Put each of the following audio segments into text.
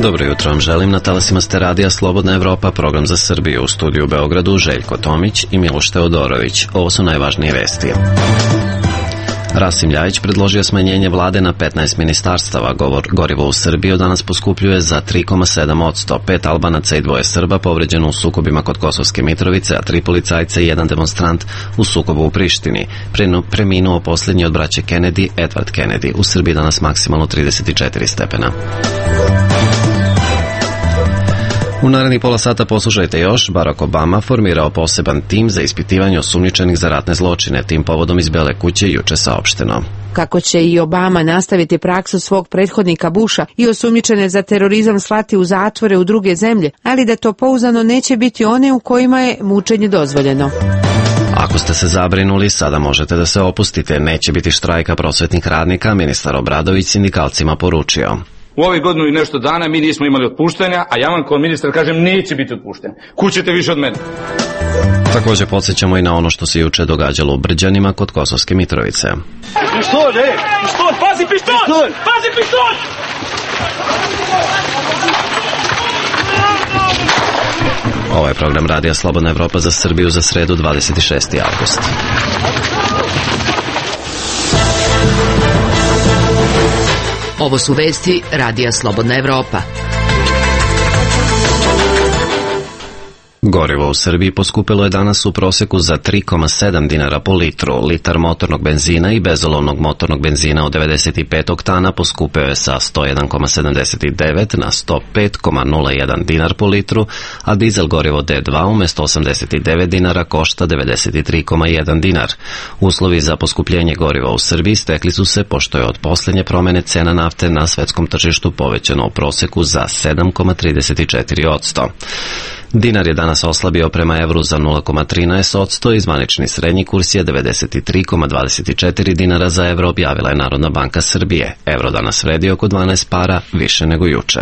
Dobro jutro vam želim, na talasima ste radija Slobodna Evropa, program za Srbiju, u studiju u Beogradu Željko Tomić i Miloš Teodorović. Ovo su najvažnije vesti. Rasim Ljajić predložio smanjenje vlade na 15 ministarstava. Gorivo u Srbiji danas poskupljuje za 3,7%. 5 Albanaca i 2 Srba povređeno u sukobima kod Kosovske Mitrovice, a 3 policajca i 1 demonstrant u sukobu u Prištini. Preminuo posljednji od braće Kennedy, Edward Kennedy. U Srbiji danas maksimalno 34 stepena. U narednih pola sata poslušajte još, Barack Obama formirao poseban tim za ispitivanje osumnjičenih za ratne zločine. Tim povodom iz Bele kuće juče saopšteno. Kako će i Obama nastaviti praksu svog prethodnika Busha i osumnjičene za terorizam slati u zatvore u druge zemlje, ali da to pouzdano neće biti one u kojima je mučenje dozvoljeno. Ako ste se zabrinuli, sada možete da se opustite. Neće biti štrajka prosvetnih radnika, ministar Obradović sindikalcima poručio. U ovih godinu i nešto dana mi nismo imali otpuštanja, a ja vam kao ministar kažem neće biti otpuštanja. Kućete više od mene. Također podsjećamo i na ono što se juče događalo u Brđanima kod Kosovske Mitrovice. Pištolj, pištolj, pazi pištolj! Pazi pištolj! Ovo je program radija Slobodna Evropa za Srbiju za sredu 26. avgust. Ovo su vesti radija Slobodna Evropa. Gorivo u Srbiji poskupilo je danas u proseku za 3,7 dinara po litru. Litar motornog benzina i bezolovnog motornog benzina od 95 oktana poskupio je sa 101,79 na 105,01 dinar po litru, a dizel gorivo D2 umjesto 89 dinara košta 93,1 dinar. Uslovi za poskupljenje goriva u Srbiji stekli su se pošto je od posljednje promjene cena nafte na svetskom tržištu povećano u proseku za 7,34%. Dinar je danas oslabio prema evru za 0,13%, zvanični srednji kurs je 93,24 dinara za evro, objavila je Narodna banka Srbije. Evro danas vredi oko 12 para, više nego juče.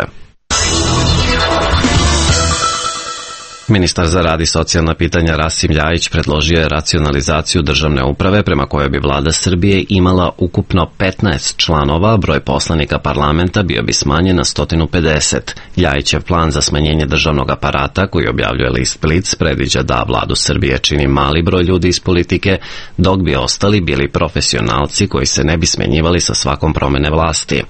Ministar za rad i socijalna pitanja Rasim Ljajić predložio je racionalizaciju državne uprave prema kojoj bi vlada Srbije imala ukupno 15 članova, broj poslanika parlamenta bio bi smanjen na 150. Ljajićev plan za smanjenje državnog aparata koji objavljuje list Blic predviđa da vladu Srbije čini mali broj ljudi iz politike, dok bi ostali bili profesionalci koji se ne bi smenjivali sa svakom promjene vlasti.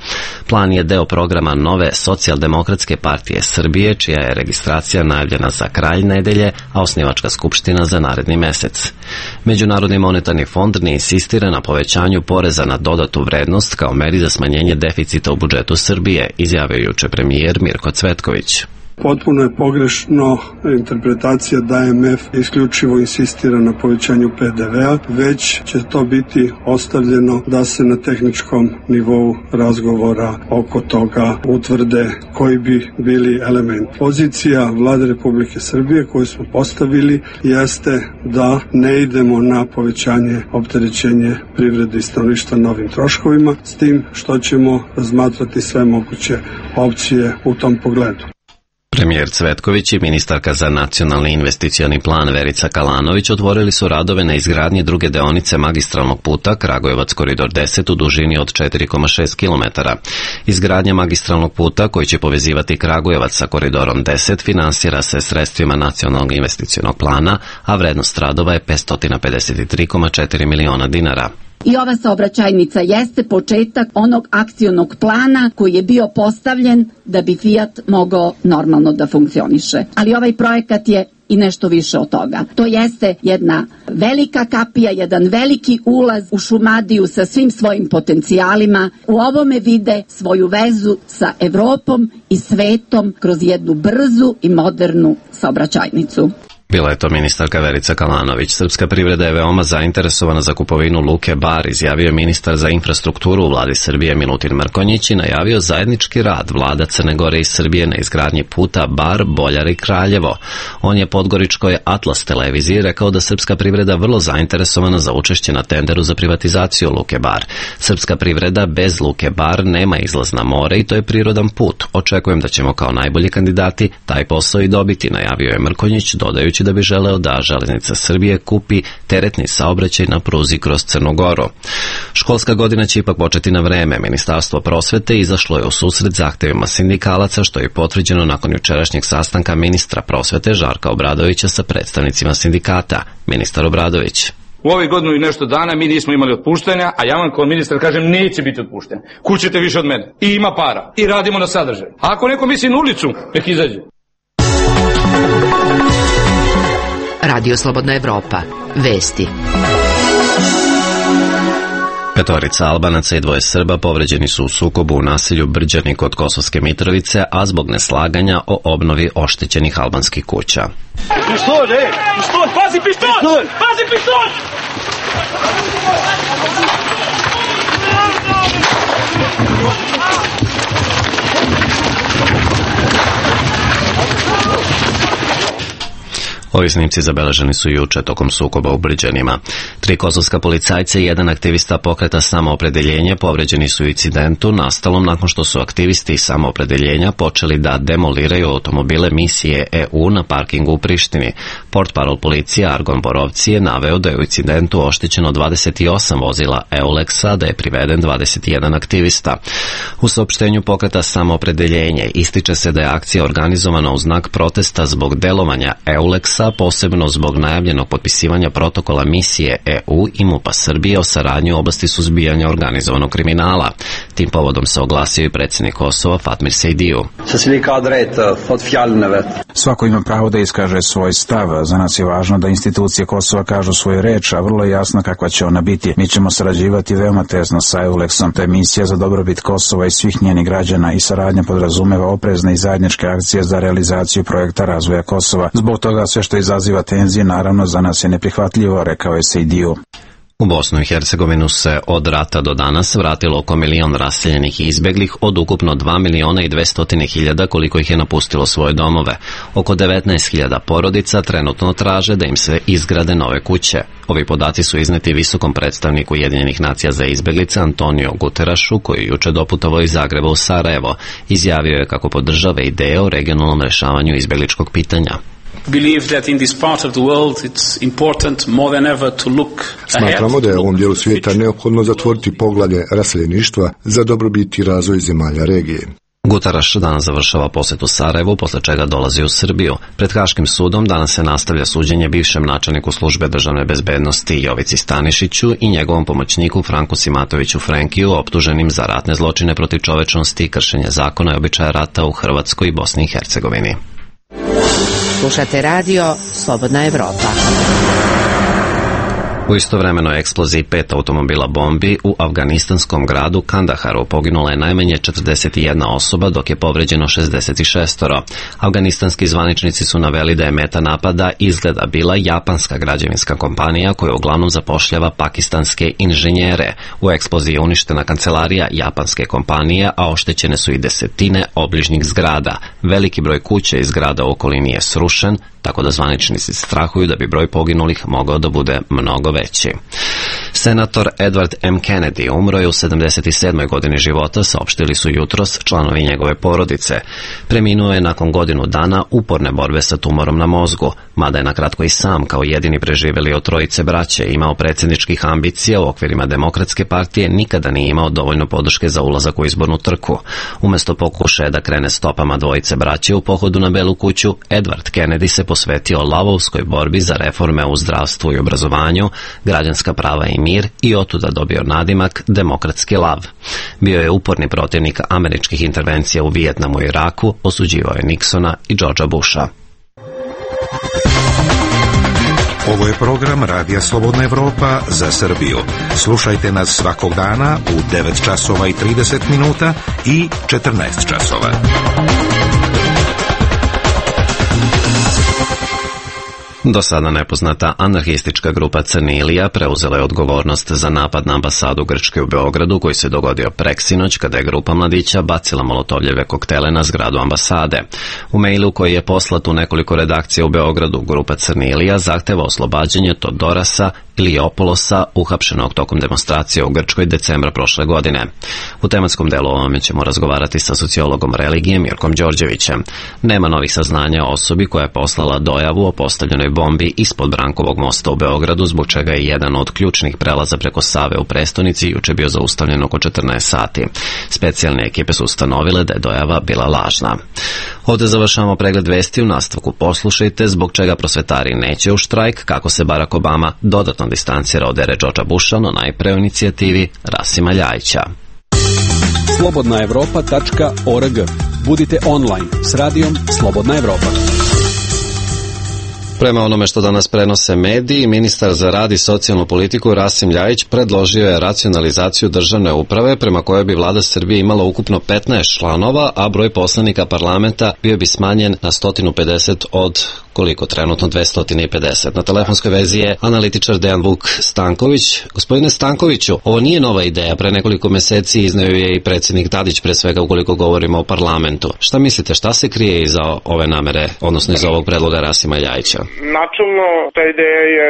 Plan je deo programa nove Socijaldemokratske partije Srbije, čija je registracija najavljena za kraj nedelje, a osnivačka skupština za naredni mesec. Međunarodni monetarni fond ne insistira na povećanju poreza na dodatu vrednost kao meri za smanjenje deficita u budžetu Srbije, izjavio juče premijer Mirko Cvetković. Potpuno je pogrešno interpretacija da MF isključivo insistira na povećanju PDV-a, već će to biti ostavljeno da se na tehničkom nivou razgovora oko toga utvrde koji bi bili element. Pozicija Vlade Republike Srbije koju smo postavili jeste da ne idemo na povećanje opterećenje privrede i stanovništva novim troškovima, s tim što ćemo razmatrati sve moguće opcije u tom pogledu. Premijer Cvetković i ministarka za nacionalni investicioni plan Verica Kalanović otvorili su radove na izgradnji druge deonice magistralnog puta Kragujevac koridor 10 u dužini od 4,6 km. Izgradnja magistralnog puta koji će povezivati Kragujevac sa koridorom 10 finansira se sredstvima nacionalnog investicionog plana, a vrednost radova je 553,4 miliona dinara. I ova saobraćajnica jeste početak onog akcionog plana koji je bio postavljen da bi Fiat mogao normalno da funkcioniše. Ali ovaj projekat je i nešto više od toga. To jeste jedna velika kapija, jedan veliki ulaz u Šumadiju sa svim svojim potencijalima. U ovome vide svoju vezu sa Evropom i svetom kroz jednu brzu i modernu saobraćajnicu. Bila je to ministarka Verica Kalanović. Srpska privreda je veoma zainteresovana za kupovinu Luke Bar, izjavio je ministar za infrastrukturu u vladi Srbije Milutin Mrkonjić i najavio zajednički rad vlada Crne Gore i Srbije na izgradnji puta Bar, Boljar i Kraljevo. On je podgoričkoj Atlas televiziji rekao da srpska privreda vrlo zainteresovana za učešće na tenderu za privatizaciju Luke Bar. Srpska privreda bez Luke Bar nema izlaz na more i to je prirodan put. Očekujem da ćemo kao najbolji kandidati taj posao i dobiti, najavio je Mrkonjić, dodajući budući da bi želeo da Železnica Srbije kupi teretni saobraćaj na pruzi kroz Crnu Goru. Školska godina će ipak početi na vreme. Ministarstvo prosvete izašlo je u susret zahtevima sindikalaca, što je potvrđeno nakon jučerašnjeg sastanka ministra prosvete Žarka Obradovića sa predstavnicima sindikata. Ministar Obradović: u ovih godinu i nešto dana mi nismo imali otpuštanja, a ja vam kao ministar kažem neće biti otpušten. Kućete više od mene. I ima para. I radimo na sadržaju. A ako neko misli na ulicu, nek izađe. Radio Slobodna Evropa. Vesti. 5 Albanaca i 2 Srba povređeni su u sukobu u naselju Brđani kod Kosovske Mitrovice, a zbog neslaganja o obnovi oštećenih albanskih kuća. Pištolj, pištolj, pazi pištolj! Pazi pištolj! Ovi snimci zabeleženi su juče tokom sukoba u Brđanima. 3 kosovska policajca i 1 aktivista pokreta Samoopredeljenje povređeni su u incidentu nastalom nakon što su aktivisti Samoopredeljenja počeli da demoliraju automobile misije EU na parkingu u Prištini. Portparol policije Argon Borovci je naveo da je u incidentu oštećeno 28 vozila EULEX-a, da je priveden 21 aktivista. U saopštenju pokreta Samoopredeljenje ističe se da je akcija organizovana u znak protesta zbog delovanja EULEX-a, posebno zbog najavljenog potpisivanja protokola misije EU i MUP-a Srbije o saradnji u oblasti suzbijanja organizovanog kriminala. Tim povodom se oglasio i predsjednik Kosova Fatmir Sejdiju. Svako ima pravo da iskaže svoj stav. Za nas je važno da institucije Kosova kažu svoju reč, a vrlo je jasno kakva će ona biti. Mi ćemo sarađivati veoma tesno sa EULEX-om. To je misija za dobrobit Kosova i svih njenih građana i saradnja podrazumeva oprezne i zajedničke akcije za realizaciju projekta razvoja Kosova. Zbog toga sve što izaziva tenzije, naravno, za nas je neprihvatljivo, rekao je Sejdiju. U Bosnu i Hercegovinu se od rata do danas vratilo oko 1 milion raseljenih i izbeglih od ukupno 2.200.000 koliko ih je napustilo svoje domove. Oko 19.000 porodica trenutno traže da im se izgrade nove kuće. Ovi podaci su izneti visokom predstavniku Ujedinjenih nacija za izbeglice Antonio Guterašu, koji je juče doputovao iz Zagreba u Sarajevo. Izjavio je kako podržava ideje o regionalnom rešavanju izbegličkog pitanja. Smatramo da je u ovom dijelu svijeta neophodno zatvoriti poglavlje raseljeništva za dobrobit i razvoj zemalja regije. Guteraš danas završava posjetu Sarajevu, posle čega dolazi u Srbiju. Pred Haškim sudom danas se nastavlja suđenje bivšem načelniku službe državne bezbednosti Jovici Stanišiću i njegovom pomoćniku Franku Simatoviću Frenkiju, optuženim za ratne zločine protiv čovečnosti i kršenje zakona i običaja rata u Hrvatskoj i Bosni i Hercegovini. Slušate radio Slobodna Evropa. U istovremenoj eksploziji 5 automobila bombi u afganistanskom gradu Kandaharu poginula je najmanje 41 osoba, dok je povređeno 66. Afganistanski zvaničnici su naveli da je meta napada izgleda bila japanska građevinska kompanija koja uglavnom zapošljava pakistanske inženjere. U eksploziji je uništena kancelarija japanske kompanije, a oštećene su i desetine obližnjih zgrada. Veliki broj kuća iz grada u okolini je srušen, tako da zvaničnici strahuju da bi broj poginulih mogao da bude mnogo veći. Senator Edward M. Kennedy umro je u 77. godini života, saopštili su jutros članovi njegove porodice. Preminuo je nakon godinu dana uporne borbe sa tumorom na mozgu, mada je nakratko i sam kao jedini preživeli od 3 braće imao predsjedničkih ambicija u okvirima Demokratske partije, nikada nije imao dovoljno podrške za ulazak u izbornu trku. Umesto pokušaja da krene stopama 2 braće u pohodu na Belu kuću, Edward Kennedy se posvetio lavovskoj borbi za reforme u zdravstvu i obrazovanju, građanska prava i mir i otuda dobio nadimak Demokratski lav. Bio je uporni protivnik američkih intervencija u Vijetnamu i Iraku, osuđivao je Nixona i Georgea Busha. Ovo je program Radija Slobodna Evropa za Srbiju. Slušajte nas svakog dana u 9 časova i 30 minuta i 14 časova. Do sada nepoznata anarhistička grupa Crni Ilija preuzela je odgovornost za napad na ambasadu Grčke u Beogradu koji se dogodio preksinoć kada je grupa mladića bacila molotovljeve koktele na zgradu ambasade. U mailu koji je poslat u nekoliko redakcija u Beogradu, grupa Crni Ilija zahteva oslobađanje Todorasa ili Opolosa, uhapšenog tokom demonstracije u Grčkoj decembra prošle godine. U tematskom delu o ovome ćemo razgovarati sa sociologom religije Mirkom Đorđevićem. Nema novih saznanja o osobi koja je poslala dojavu o postavljenoj bombi ispod Brankovog mosta u Beogradu, zbog čega je jedan od ključnih prelaza preko Save u prestonici juče bio zaustavljen oko 14 sati. Specijalne ekipe su ustanovile da je dojava bila lažna. Ovde završavamo pregled vesti, u nastavku poslušajte zbog čega prosvetari neće u štrajk, kako se Barack Obama dodatno distancira od ere Georgea Busha, no najpre o inicijativi Rasima Ljajića. slobodnaevropa.org. Budite online s radijom Slobodna Evropa. Prema onome što danas prenose mediji, ministar za rad i socijalnu politiku Rasim Ljajić predložio je racionalizaciju državne uprave prema kojoj bi vlada Srbije imala ukupno 15 članova, a broj poslanika parlamenta bio bi smanjen na 150 od koliko trenutno 250. Na telefonskoj vezi je analitičar Dejan Vuk Stanković. Gospodine Stankoviću, ovo nije nova ideja, pre nekoliko meseci izneo je i predsjednik Tadić, pre svega ukoliko govorimo o parlamentu. Šta mislite, šta se krije iza ove namere, odnosno iza ovog predloga Rasima Ljajića? Načelno, ta ideja je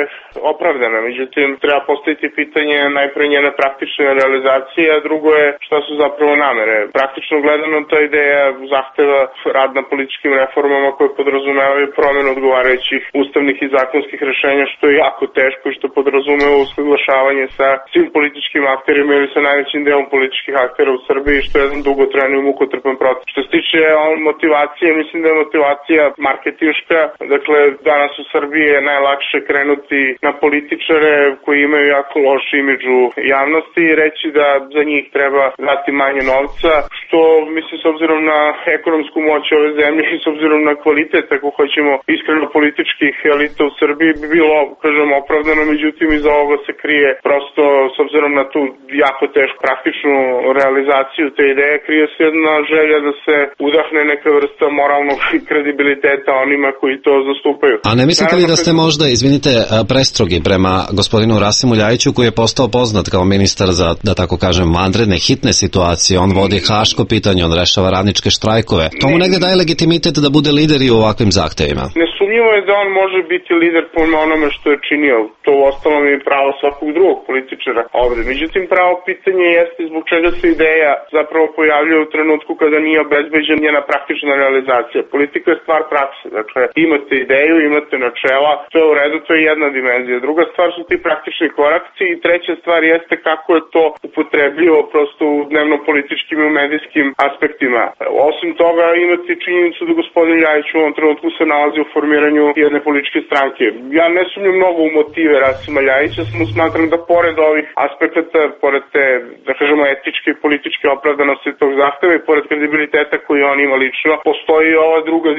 opravdana, međutim, treba postaviti pitanje najpre njene praktične realizacije, a drugo je šta su zapravo namere. Praktično gledano, ta ideja zahteva rad na političkim reformama koje podrazumevaju promjenu odgovarajućih ustavnih i zakonskih rešenja, što je jako teško i što podrazumeva usaglašavanje sa svim političkim akterima ili sa najvećim delom političkih aktera u Srbiji, što je jedan dugotrajan i mukotrpan proces. Što se tiče motivacije, mislim da je motivacija marketinška, dakle danas u Srbiji je najlakše krenuti na političare koji imaju jako loš imidž u javnosti i reći da za njih treba dati manje novca, što mislim s obzirom na ekonomsku moć ove zemlje i s obzirom na kvalitet, ako hoćemo iskreno političkih elita u Srbiji, bi bilo, kažem, opravdano, međutim iza ovoga se krije prosto s obzirom na tu jako tešku praktičnu realizaciju te ideje, krije se jedna želja da se udahne neka vrsta moralnog kredibiliteta onima koji to zastupaju. A ne mislite li da ste možda, izvinite, prestrogi prema gospodinu Rasimu Ljajiću, koji je postao poznat kao ministar za, da tako kažem, vanredne, hitne situacije, on vodi haško pitanje, on rešava radničke štrajkove. To mu negde daje legitimitet da bude lider i u ovakvim zahtevima. Nesumnjivo je da on može biti lider po onome što je činio. To u ostalom je pravo svakog drugog političara ovde. Međutim, pravo pitanje jeste zbog čega se ideja zapravo pojavljuje u trenutku kada nije obezbeđena njena praktična realizacija. Politika je stvar prakse. Dakle, imate ideju, imate načela, to je u redu, to je jedna dimenzija. Druga stvar su ti praktični koraci i treća stvar jeste kako je to upotrebljivo prosto u dnevno-političkim i medijskim aspektima. Osim toga, imate činjenicu da gospodin Ljajić u ovom trenutku se nalazi u formiranju jedne političke stranke. Ja ne sumnjam mnogo u motive Rasima Ljajića, samo smatram da pored ovih aspekata, pored te, da kažemo, etičke i političke opravdanosti tog zahteva i pored kredibiliteta koji on ima lično, postoji ova druga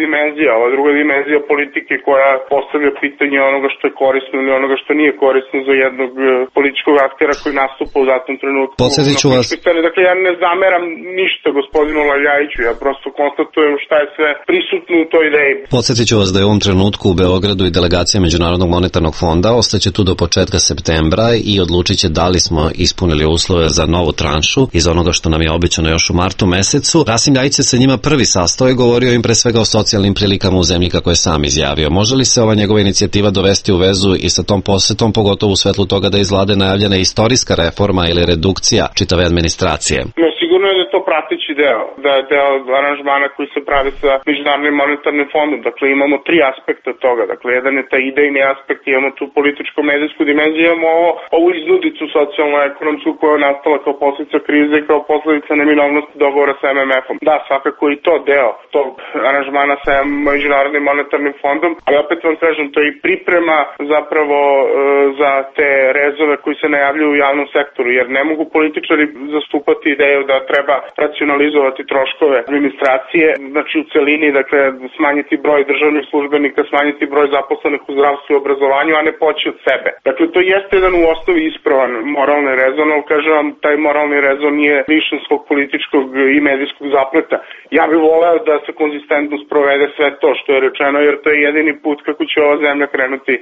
dimenzija politike koja postavlja pitanje onoga što je korisno ili onoga što nije korisno za jednog političkog aktera koji nastupa u datom trenutku. Podsjetiću vas. Dakle, ja ne zameram ništa gospodinu Ljajiću, ja prosto konstatujem šta je sve prisutno u toj ideji. Podsjetiću vas da je u ovom trenutku u Beogradu i delegacija Međunarodnog monetarnog fonda ostaće tu do početka septembra i odlučit će da li smo ispunili uslove za novu tranšu iz onoga što nam je obećano još u martu mesecu. Rasim Ljajić se sa njima prvi sastao i govorio im pre svega o socijalnim prilikama u zemlji, kako je sam izjavio. Može li se ova njegova inicijativa dovesti u vezu i sa tom posetom, pogotovo u svetlu toga da je iz vlade najavljena istorijska reforma ili redukcija čitave administracije? Sigurno je da je to prateći deo, da je deo aranžmana koji se pravi sa Međunarodnim monetarnim fondom. Dakle, imamo tri aspekta toga. Dakle, jedan je taj idejni aspekt, imamo tu političko-medijsku dimenziju, imamo ovu iznudicu socijalno-ekonomsku koja je nastala kao posljedica krize i kao posljedica neminovnosti dogovora sa MMF-om. Da, svakako i to deo tog aranžmana sa Međunarodnim monetarnim fondom, ali opet vam kažem, to je i priprema zapravo za te rezove koji se najavljuju u javnom sektoru, jer ne mogu političari zastupati ideju da treba racionalizovati troškove administracije, znači u celini, dakle smanjiti broj državnih službenika, smanjiti broj zaposlenih u zdravstvu i obrazovanju, a ne poći od sebe. Dakle, to jeste jedan u osnovi ispravan moralni rezon, ali kažem vam, taj moralni rezon nije lišen svog političkog i medijskog zapleta. Ja bih voleo da se konzistentno sprovede sve to što je rečeno, jer to je jedini put kako će ova zemlja krenuti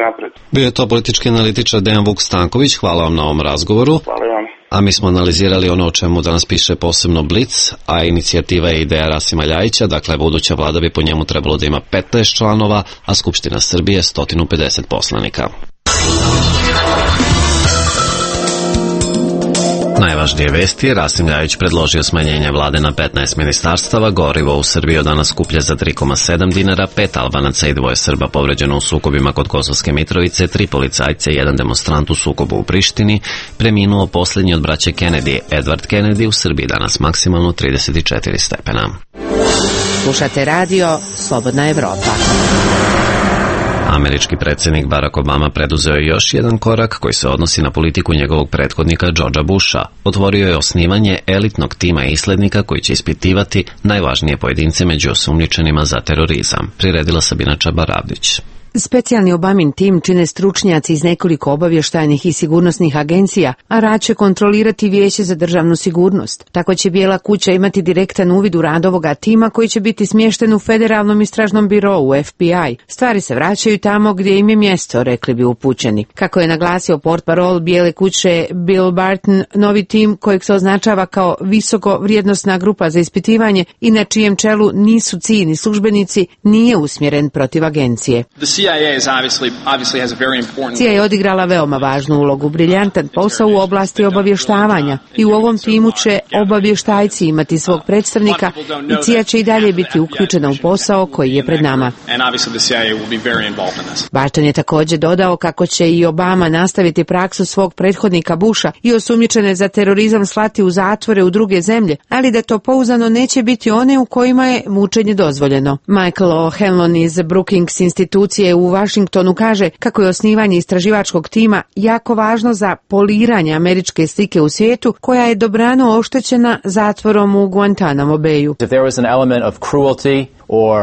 napred. Bio je to politički analitičar Dejan Vuk Stanković, hvala vam na ovom razgovoru. Hvala vam. A mi smo analizirali ono o čemu danas piše posebno Blic, a inicijativa je ideja Rasima Ljajića, dakle buduća vlada bi po njemu trebalo da ima 15 članova, a Skupština Srbije 150 poslanika. najvažnije vesti, Rasim Ljajić predložio smanjenje vlade na 15 ministarstava, gorivo u Srbiji od danas skuplje za 3,7 dinara, 5 Albanaca i 2 Srba povređeno u sukobima kod Kosovske Mitrovice, 3 policajca i 1 demonstrant u sukobu u Prištini, preminuo posljednji od braće Kennedy, Edward Kennedy, u Srbiji danas maksimalno 34 stepena. Slušate radio Slobodna Evropa. Američki predsjednik Barack Obama preduzeo je još jedan korak koji se odnosi na politiku njegovog prethodnika Georgea Busha. Otvorio je osnivanje elitnog tima islednika koji će ispitivati najvažnije pojedince među osumnjičenima za terorizam. Priredila Sabina Čabaravdić. Specijalni Obamin tim čine stručnjaci iz nekoliko obavještajnih i sigurnosnih agencija, a rad će kontrolirati Vijeće za državnu sigurnost. Tako će Bijela kuća imati direktan uvid u rad ovoga tima koji će biti smješten u Federalnom istražnom birou FBI. Stvari se vraćaju tamo gdje im je mjesto, rekli bi upućeni. Kako je naglasio portparol Bijele kuće Bill Barton, novi tim kojeg se označava kao visoko vrijednosna grupa za ispitivanje i na čijem čelu nisu ciljni službenici, nije usmjeren protiv agencije. CIA je odigrala veoma važnu ulogu, briljantan posao u oblasti obavještavanja i u ovom timu će obavještajci imati svog predstavnika i CIA će i dalje biti uključena u posao koji je pred nama. Barton je također dodao kako će i Obama nastaviti praksu svog prethodnika Busha i osumnjičene za terorizam slati u zatvore u druge zemlje, ali da to pouzdano neće biti one u kojima je mučenje dozvoljeno. Michael O'Hanlon iz Brookings institucije u Washingtonu kaže kako je osnivanje istraživačkog tima jako važno za poliranje američke slike u svijetu koja je dobrano oštećena zatvorom u Guantanamo Bayu.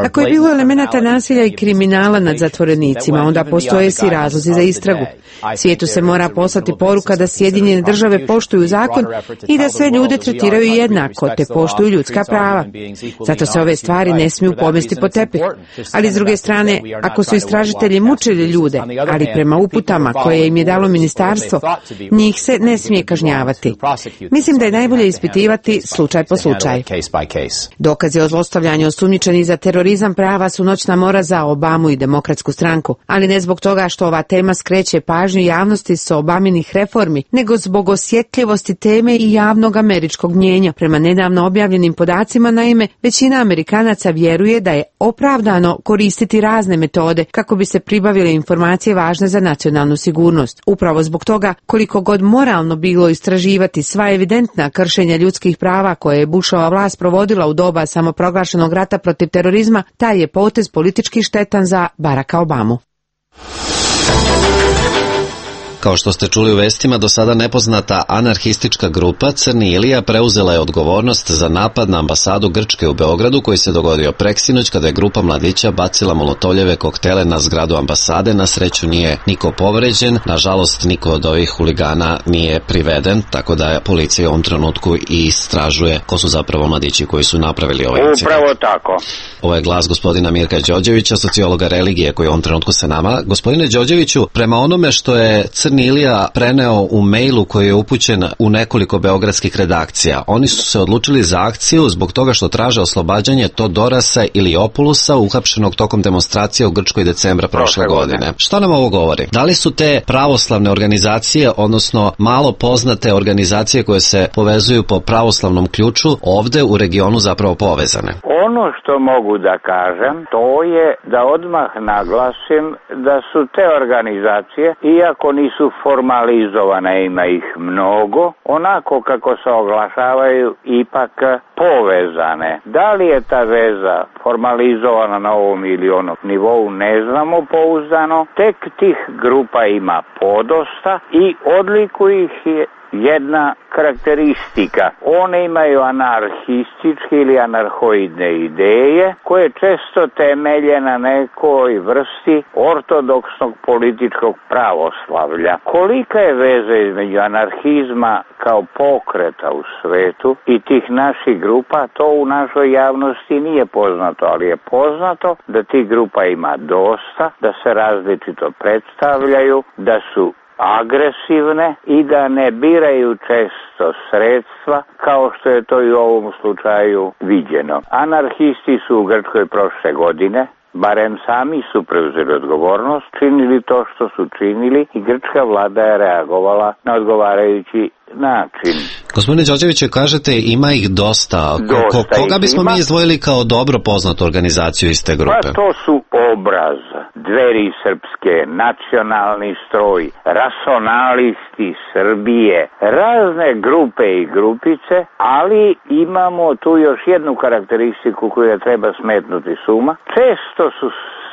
Ako je bilo elemenata nasilja i kriminala nad zatvorenicima, onda postoje svi razlozi za istragu. Svijetu se mora poslati poruka da Sjedinjene države poštuju zakon i da sve ljude tretiraju jednako, te poštuju ljudska prava. Zato se ove stvari ne smiju pomesti pod tepih. Ali s druge strane, ako su istražitelji mučili ljude, ali prema uputama koje im je dalo ministarstvo, njih se ne smije kažnjavati. Mislim da je najbolje ispitivati slučaj po slučaj. Dokazi o zlostavljanju osumnjičenih za terorizam prava su noćna mora za Obamu i Demokratsku stranku, ali ne zbog toga što ova tema skreće pažnju javnosti sa Obaminih reformi, nego zbog osjetljivosti teme i javnog američkog mnijenja. Prema nedavno objavljenim podacima, naime, većina Amerikanaca vjeruje da je opravdano koristiti razne metode kako bi se pribavile informacije važne za nacionalnu sigurnost. Upravo zbog toga, koliko god moralno bilo istraživati sva evidentna kršenja ljudskih prava koje je Bushova vlast provodila u doba samoproglašenog rata protiv terorizma, taj je potez politički štetan za Baracka Obamu. Kao što ste čuli u vestima, do sada nepoznata anarhistička grupa Crni Ilija preuzela je odgovornost za napad na ambasadu Grčke u Beogradu koji se dogodio preksinoć kada je grupa mladića bacila molotovljeve koktele na zgradu ambasade. Na sreću nije niko povređen, nažalost niko od ovih huligana nije priveden, tako da je policija u ovom trenutku i istražuje ko su zapravo mladići koji su napravili ovaj incident. Upravo tako. Ovo je glas gospodina Mirka Đorđevića, sociologa religije koji je u ovom trenutku sa nama. Gospodine Đorđeviću, prema onome što je Crni Ilija preneo u mailu koji je upućen u nekoliko beogradskih redakcija, oni su se odlučili za akciju zbog toga što traže oslobađanje Todorasa ili Opulusa, uhapšenog tokom demonstracije u Grčkoj decembra prošle godine. Što nam ovo govori? Da li su te pravoslavne organizacije, odnosno malo poznate organizacije koje se povezuju po pravoslavnom ključu, ovde u regionu zapravo povezane? Ono što mogu da kažem, to je da odmah naglasim da su te organizacije, iako nisu formalizovane, ima ih mnogo, onako kako se oglašavaju, ipak povezane. Da li je ta veza formalizovana na ovom ili onom nivou, ne znamo pouzdano. Tek tih grupa ima podosta i odlikuju ih je jedna karakteristika. One imaju anarhističke ili anarhoidne ideje koje često temelje na nekoj vrsti ortodoksnog političkog pravoslavlja. Kolika je veza između anarhizma kao pokreta u svetu i tih naših grupa, to u našoj javnosti nije poznato, ali je poznato da tih grupa ima dosta, da se različito predstavljaju, da su agresivne i da ne biraju često sredstva kao što je to i u ovom slučaju viđeno. Anarhisti su u Grčkoj prošle godine barem sami su preuzeli odgovornost, činili to što su činili i grčka vlada je reagovala na odgovarajući način. Gospodine Đorđeviću, kažete ima ih dosta. Koga bismo mi izdvojili kao dobro poznatu organizaciju iz te grupe? Pa to su Obraz, Dveri srpske, Nacionalni stroj, Racionalisti Srbije, razne grupe i grupice, ali imamo tu još jednu karakteristiku koju treba smetnuti s uma. Često su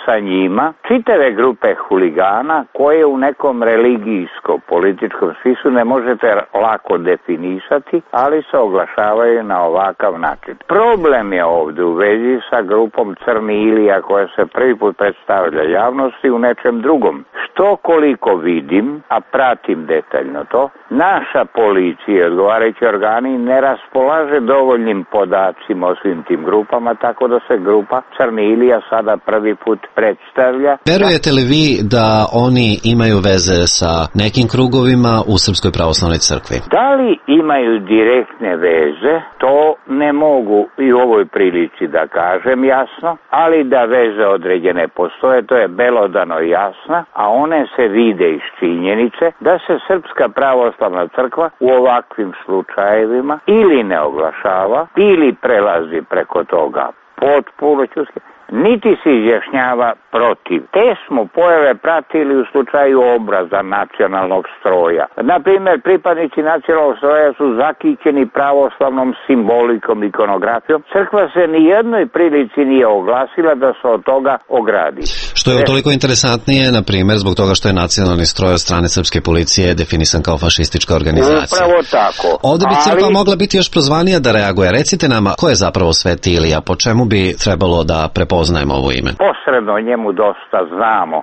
sa njima čitave grupe huligana koje u nekom religijsko-političkom smislu ne možete lako definisati, ali se oglašavaju na ovakav način. Problem je ovdje u vezi sa grupom Crni Ilija koja se prvi put predstavlja javnosti u nečem drugom. Što koliko vidim, a pratim detaljno to, naša policija i odgovarajući organi ne raspolaže dovoljnim podacima o svim tim grupama, tako da se grupa Crni Ilija sada prvi put predstavlja. Verujete li vi da oni imaju veze sa nekim krugovima u Srpskoj pravoslavnoj crkvi? Da li imaju direktne veze, to ne mogu i u ovoj prilici da kažem jasno, ali da veze određene postoje, to je belodano jasno, a one se vide iz činjenice da se Srpska pravoslavna crkva u ovakvim slučajevima ili ne oglašava ili prelazi preko toga potpuno čuske, niti se izjašnjava protiv. Te smo pojave pratili u slučaju Obraza, Nacionalnog stroja. Naprimjer, pripadnici Nacionalnog stroja su zakićeni pravoslavnom simbolikom, ikonografijom. Crkva se ni jednoj prilici nije oglasila da se od toga ogradi. Što je toliko interesantnije, na primjer, zbog toga što je Nacionalni stroj od strane srpske policije definisan kao fašistička organizacija. Upravo tako. Ovdje bi crkva mogla biti još prozvanija da reaguje. Recite nama, ko je zapravo Sveti Ilija? Po čemu bi trebalo da prepoznajemo ovo ime? Posredno o njemu dosta znamo.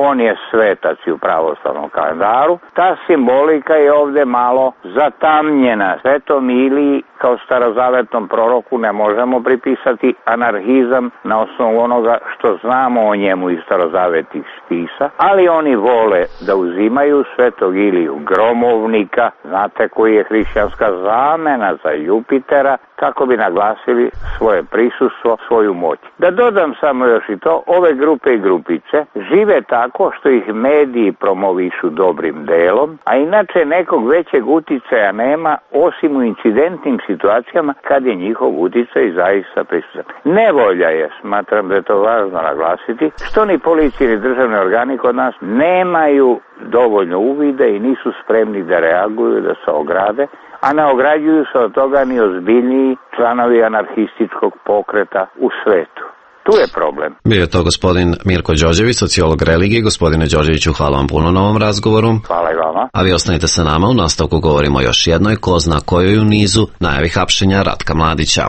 On je svetac u pravoslavnom kalendaru. Ta simbolika je ovdje malo zatamnjena. Svetom Iliji kao starozavetnom proroku ne možemo pripisati anarhizam na osnovu onoga što znamo o njemu iz starozavetnih spisa, ali oni vole da uzimaju Svetog Iliju gromovnika, znate koji je hrišćanska zamena za Jupitera, kako bi naglasili svoje prisustvo, svoju moć. Da dodam samo još i to, ove grupe i grupice žive tako što ih mediji promovišu dobrim delom, a inače nekog većeg uticaja nema osim u incidentnim situacijama kad je njihov uticaj zaista prisutan. Nevolja je, smatram da je to važno naglasiti, što ni policija ni državni organi kod nas nemaju dovoljno uvida i nisu spremni da reaguju, da se ograde, a ne ograđuju se od toga ni ozbiljniji članovi anarhističkog pokreta u svetu. Tu je problem. Bio je to gospodin Mirko Đorđević, sociolog religije. Gospodine Đorđeviću, hvala vam puno na ovom razgovoru. Hvala i vama. A vi ostanite sa nama, u nastavku govorimo još jednoj, ko zna kojoj u nizu, najavi hapšenja Ratka Mladića.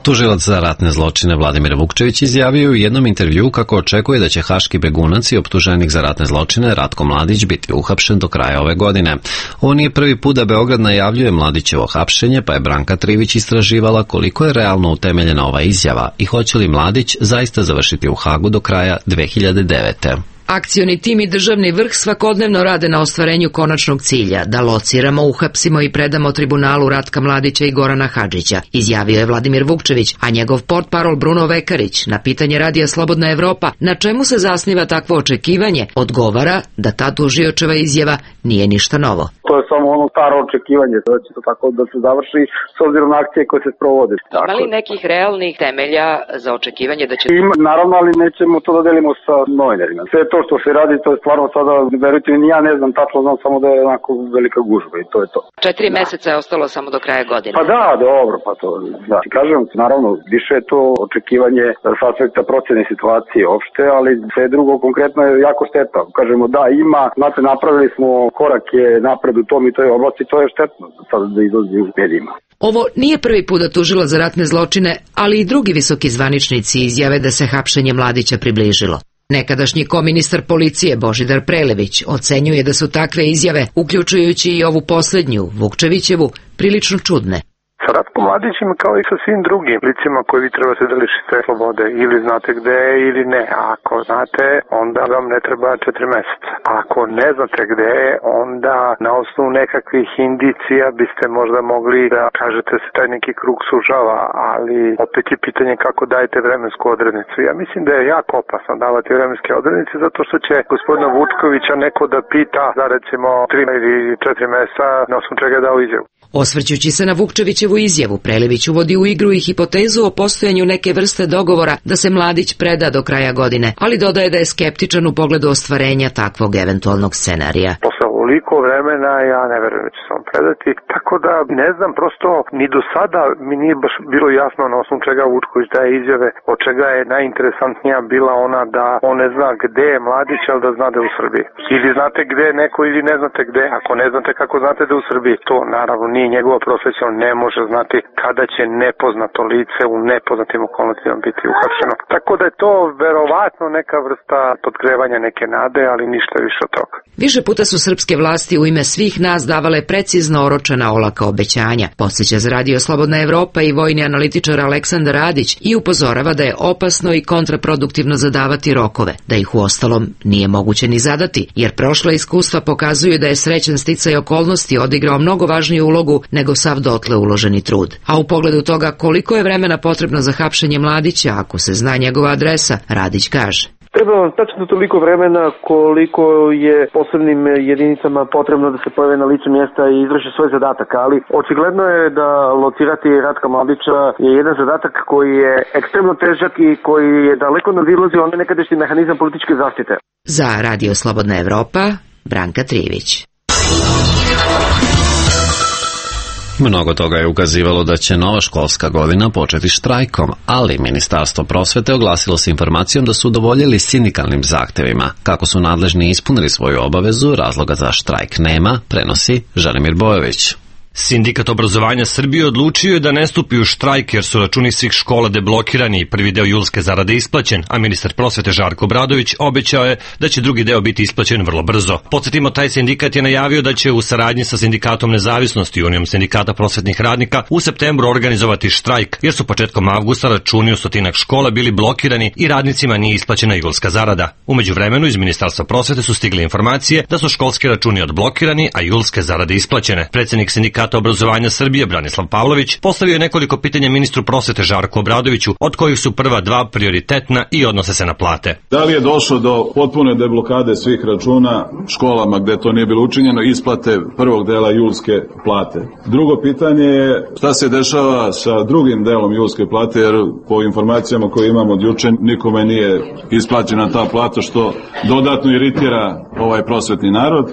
Tužilac za ratne zločine Vladimir Vukčević izjavio u jednom intervjuu kako očekuje da će haški begunac i optuženik za ratne zločine Ratko Mladić biti uhapšen do kraja ove godine. Ovo nije prvi put da Beograd najavljuje Mladićevo hapšenje, pa je Branka Trivić istraživala koliko je realno utemeljena ova izjava i hoće li Mladić zaista završiti u Hagu do kraja 2009. Akcioni tim i državni vrh svakodnevno rade na ostvarenju konačnog cilja, da lociramo, uhapsimo i predamo tribunalu Ratka Mladića i Gorana Hadžića, izjavio je Vladimir Vukčević, a njegov portparol Bruno Vekarić na pitanje Radija Slobodna Evropa na čemu se zasniva takvo očekivanje, odgovara da ta tužiočeva izjava nije ništa novo. To je samo ono staro očekivanje, da će to tako da se završi s obzirom na akcije koje se sprovode. Ima li nekih realnih temelja za očekivanje da će... Ima, naravno, ali nećemo to da delimo sa novinarima. Sve to što se radi, to je stvarno sada, verujte mi, ja ne znam tačno, znam samo da je onako velika gužba i to je to. 4 meseca je ostalo samo do kraja godine. Pa da, dobro, pa to, da. Kažem, naravno, više je to očekivanje s aspekta procene situacije opšte, ali sve drugo konkretno je jako šteta. Kažemo, da, ima, znate, napravili smo korake napred u tom i toj oblasti, to je štetno sada da izlazi u medijima. Ovo nije prvi put da tužilac za ratne zločine, ali i drugi visoki zvaničnici izjave da se hapšenje Mladića približilo. Nekadašnji koministar policije Božidar Prelević ocenjuje da su takve izjave, uključujući i ovu poslednju, Vukčevićevu, prilično čudne. Sa Ratkom Mladićem kao i sa svim drugim licima koji vi trebate da lišite slobode. Ili znate gde je ili ne. A ako znate, onda vam ne treba 4 meseca. A ako ne znate gde je, onda na osnovu nekakvih indicija biste možda mogli da kažete se taj neki krug sužava, ali opet je pitanje kako dajete vremensku odrednicu. Ja mislim da je jako opasno davati vremenske odrednice zato što će gospodina Vučkovića neko da pita za recimo 3 ili 4 meseca na osnovu čega je dao izjavu. Osvrćući se na Vukčevićevu izjavu, Prelević uvodi u igru i hipotezu o postojanju neke vrste dogovora da se Mladić preda do kraja godine, ali dodaje da je skeptičan u pogledu ostvarenja takvog eventualnog scenarija. Posle ovoliko vremena ja ne verujem da će se on predati, tako da ne znam, prosto ni do sada mi nije baš bilo jasno na osnovu čega Vučković daje izjave, od čega je najinteresantnija bila ona da on ne zna gde je Mladić, ali da zna da je u Srbiji. Ili znate gde je neko ili ne znate gde, ako ne znate kako znate da je u Srbiji, to naravno nije njegova profesija, on ne može znati kada će nepoznato lice u nepoznatim okolnostima biti uhapšeno. Tako da je to verovatno neka vrsta podgrevanja neke nade, ali ništa više od toga. Više puta su srpske vlasti u ime svih nas davale precizno oročena olaka obećanja, podsjeća za Radio Slobodna Evropa i vojni analitičar Aleksandar Radić i upozorava da je opasno i kontraproduktivno zadavati rokove, da ih uostalom nije moguće ni zadati, jer prošla iskustva pokazuju da je srećan sticaj okolnosti odigrao mnogo važniju ulogu nego sav dotle uloženi trud. A u pogledu toga koliko je vremena potrebno za hapšenje Mladića, ako se zna njegova adresa, Radić kaže. Treba vam tačno toliko vremena koliko je posebnim jedinicama potrebno da se pojave na licu mjesta i izvrši svoj zadatak, ali očigledno je da locirati Ratka Mladića je jedan zadatak koji je ekstremno težak i koji je daleko nadilazi onaj nekadašnji mehanizam političke zaštite. Za Radio Slobodna Evropa, Branka Trivić. Mnogo toga je ukazivalo da će nova školska godina početi štrajkom, ali Ministarstvo prosvete oglasilo se informacijom da su udovoljili sindikalnim zahtevima. Kako su nadležni ispunili svoju obavezu, razloga za štrajk nema, prenosi Želimir Bojović. Sindikat obrazovanja Srbije odlučio je da ne stupi u štrajk jer su računi svih škola deblokirani i prvi deo julske zarade isplaćen, a ministar prosvete Žarko Obradović obećao je da će drugi deo biti isplaćen vrlo brzo. Podsjetimo, taj sindikat je najavio da će u saradnji sa Sindikatom Nezavisnosti i Unijom sindikata prosvetnih radnika u septembru organizovati štrajk, jer su početkom avgusta računi u stotinak škola bili blokirani i radnicima nije isplaćena julska zarada. U međuvremenu iz Ministarstva prosvete su stigle informacije da su školski računi odblokirani, a julske zarade isplaćene. Predsednik Sindikata obrazovanja Srbije Branislav Pavlović postavio je nekoliko pitanja ministru prosvete Žarku Obradoviću, od kojih su prva dva prioritetna i odnose se na plate. Da li je došlo do potpune deblokade svih računa školama gde to nije bilo učinjeno, isplate prvog dela julske plate? Drugo pitanje je šta se dešava sa drugim delom julske plate, jer po informacijama koje imamo od juče nikome nije isplaćena ta plata, što dodatno iritira ovaj prosvetni narod.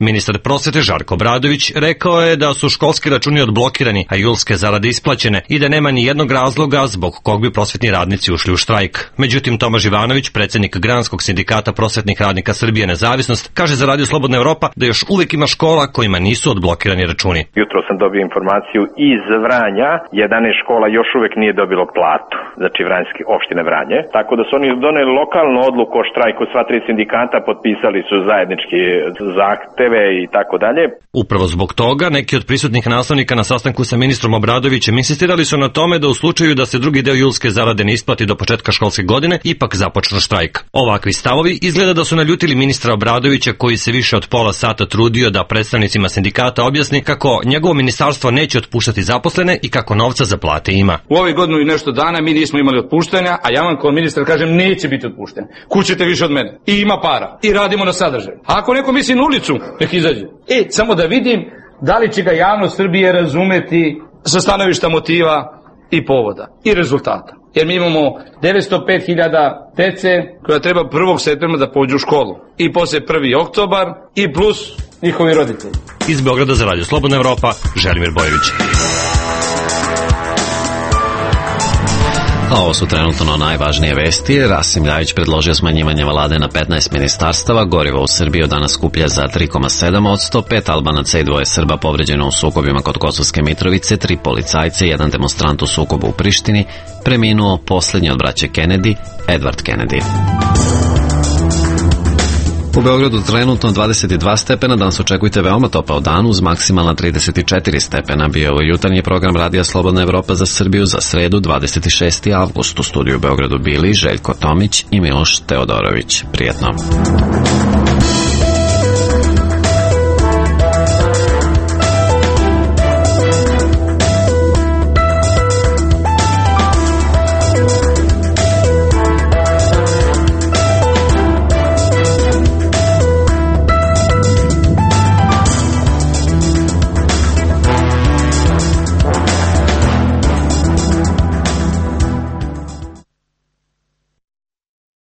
Ministar prosvete Žarko Obradović rekao je da su školski računi odblokirani, a julske zarade isplaćene i da nema ni jednog razloga zbog kog bi prosvetni radnici ušli u štrajk. Međutim, Tomaž Ivanović, predsednik Granskog sindikata prosvetnih radnika Srbije Nezavisnost, kaže za Radio Slobodna Evropa da još uvek ima škola kojima nisu odblokirani računi. Jutro sam dobio informaciju iz Vranja, 11 škola još uvek nije dobilo platu, znači Vranjske opštine Vranje, tako da su oni doneli lokalnu odluku o štrajku, sva tri sindikata potpisali su zajednički zahtev i tako dalje. Upravo zbog toga neki od prisutnih nastavnika na sastanku sa ministrom Obradovićem insistirali su na tome da u slučaju da se drugi deo julske zarade ne isplati do početka školske godine, ipak započnu štrajk. Ovakvi stavovi izgleda da su naljutili ministra Obradovića, koji se više od pola sata trudio da predstavnicima sindikata objasni kako njegovo ministarstvo neće otpuštati zaposlene i kako novca za plate ima. U ovoj godinu i nešto dana mi nismo imali otpuštanja, a ja vam kao ministar kažem neće biti otpušten. Kućete više od mene. I ima para. I radimo na sadržaju. A ako neko misli na ulicu, nek izađe. Samo da vidim da li će ga javnost Srbije razumeti sa stanovišta motiva i povoda i rezultata. Jer mi imamo 905.000 dece koja treba 1. septembra da pođu u školu. I posle 1. oktobar i plus njihovi roditelji. Iz Beograda za Radio Slobodna Evropa, Želimir Bojović. A ovo su trenutno najvažnije vesti. Rasim Ljajić predložio smanjivanje vlade na 15 ministarstava, gorivo u Srbiji od danas skuplja za 3,7%, 5 Albanaca i 2 Srba povređeno u sukobima kod Kosovske Mitrovice, 3 policajce i 1 demonstrant u sukobu u Prištini, preminuo poslednji od braće Kennedy, Edward Kennedy. U Beogradu trenutno 22 stepena, danas očekujte veoma topao dan uz maksimalna 34 stepena. Bio ovo jutarnji program Radija Slobodna Evropa za Srbiju za sredu 26. avgust. U studiju u Beogradu bili Željko Tomić i Miloš Teodorović. Prijetno.